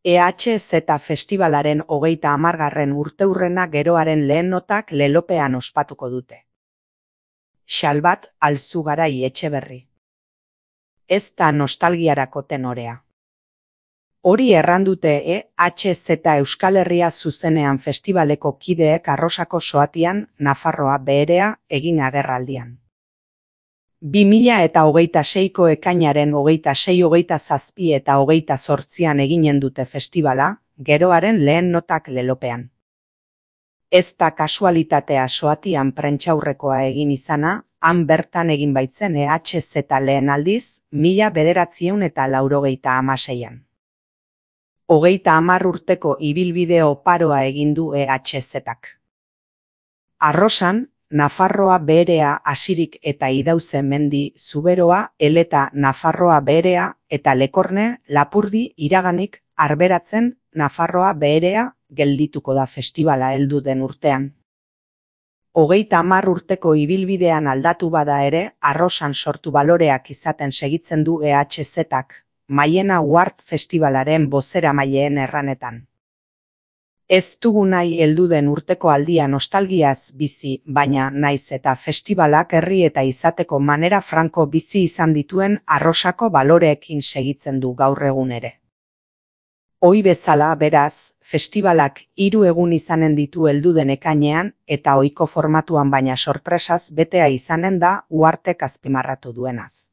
EHZ festivalaren 30. urteurrena geroaren lehen notak lelopean ospatuko dute. Xalbat Alzugarai Etxeberri. Ez da nostalgiarako tenorea. Hori errandute EHZ Euskal Herria zuzenean festivaleko kideek Arrosako soatian Nafarroa beherea egin agerraldian. 2026ko ekainaren 26, 27 eta 28an eginen dute festivala, geroaren lehen notak lelopean. Ez da kasualitatea soatian prentsaurrekoa egin izana, han bertan egin baitzen EHZ lehen aldiz, 1986an. 30 urteko ibilbide oparoa egin du EHZ-ak. Arrosan, Nafarroa beherea hasirik eta Idauze mendi Zuberoa, Eleta Nafarroa beherea eta Lekorne, Lapurdi, Iraganik, Arberatzen, Nafarroa beherea geldituko da festivala heldu den urtean. 30 urteko ibilbidean aldatu bada ere, Arrosan sortu baloreak izaten segitzen du EHZ-ak, Maiena Uart festivalaren bozeramaileen erranetan. Ez dugu nahi heldu den urteko aldia nostalgiaz bizi, baina naiz eta festivalak herri eta izateko manera franko bizi izan dituen Arrosako baloreekin segitzen du gaur egun ere. Ohi bezala, beraz, festivalak 3 egun izanen ditu heldu den ekainean eta ohiko formatuan baina sorpresaz betea izanen da Uartek azpimarratu duenaz.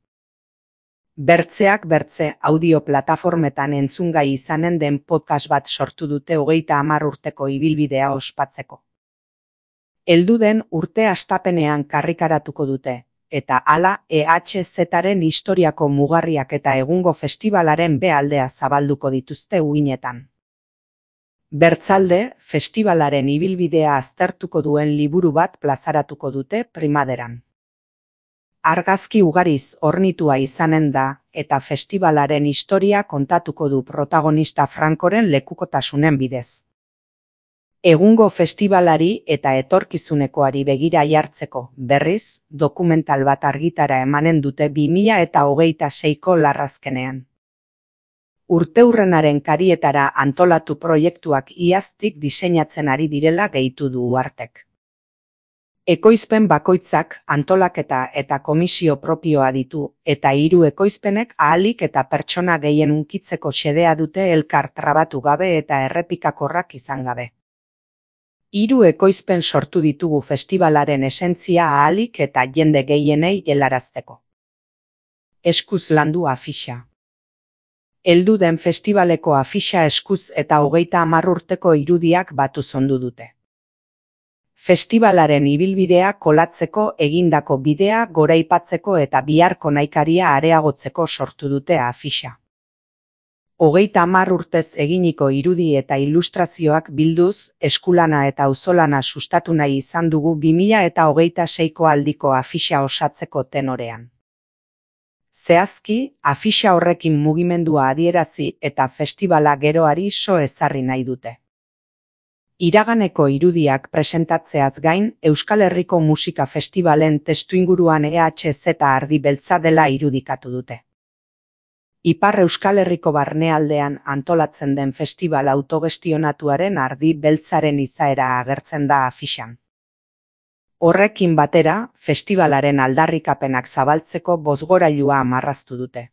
Bertzeak bertze audio plataformetan entzungai izanen den podcast bat sortu dute 30 urteko ibilbidea ospatzeko. Heldu den urte hastapenean karrikaratuko dute, eta hala EHZ-aren historiako mugarriak eta egungo festivalaren bealdea zabalduko dituzte uinetan. Bertzalde, festivalaren ibilbidea aztertuko duen liburu bat plazaratuko dute primaderan. Argazki ugariz hornitua izanen da, eta festivalaren historia kontatuko du protagonista frankoren lekukotasunen bidez. Egungo festivalari eta etorkizunekoari begira jartzeko, berriz, dokumental bat argitara emanen dute 2026ko larrazkenean. Urteurrenaren karietara antolatu proiektuak iaztik diseinatzen ari direla gehitu du Uartek. Ekoizpen bakoitzak antolaketa eta komisio propioa ditu, eta 3 ekoizpenek ahalik eta pertsona gehien hunkitzeko xedea dute elkar trabatu gabe eta errepikakorrak izan gabe. 3 ekoizpen sortu ditugu festivalaren esentzia ahalik eta jende gehienei helarazteko. Eskuz landu afixa. Heldu den festivaleko afixa eskuz eta 30 urteko irudiak batu zondu dute. Festivalaren ibilbidea kolatzeko egindako bidea goraipatzeko eta biharko nahikaria areagotzeko sortu dute afixa. 30 urtez eginiko irudi eta ilustrazioak bilduz, eskulana eta auzolana sustatu nahi izan dugu 2026ko aldiko afixa osatzeko tenorean. Zehazki, afixa horrekin mugimendua adierazi eta festivala geroari so ezarri nahi dute. Iraganeko irudiak presentatzeaz gain, Euskal Herriko Musika Festivalen testuinguruan EHZ ardi beltza dela irudikatu dute. Ipar Euskal Herriko barnealdean antolatzen den festival autogestionatuaren ardi beltzaren izaera agertzen da afixan. Horrekin batera, festivalaren aldarrikapenak zabaltzeko bozgorailua marraztu dute.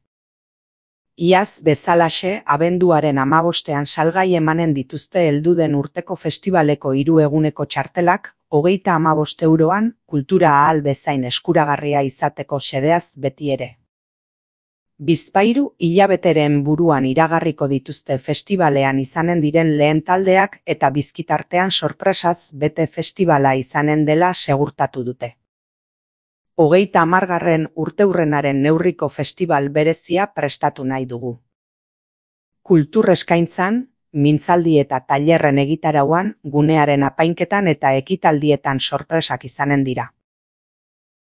Iaz bezalaxe, abenduaren 15ean salgai emanen dituzte heldu den urteko festivaleko 3 eguneko txartelak, 35 euroan, kultura ahal bezain eskuragarria izateko xedeaz beti ere. Bizpahiru hilabeteren buruan iragarriko dituzte festivalean izanen diren lehen taldeak eta bizkitartean sorpresaz bete festivala izanen dela segurtatu dute. 30. urteurrenaren neurriko festival berezia prestatu nahi dugu. Kultur eskaintzan, mintzaldi eta tailerren egitarauan, gunearen apainketan eta ekitaldietan sorpresak izanen dira.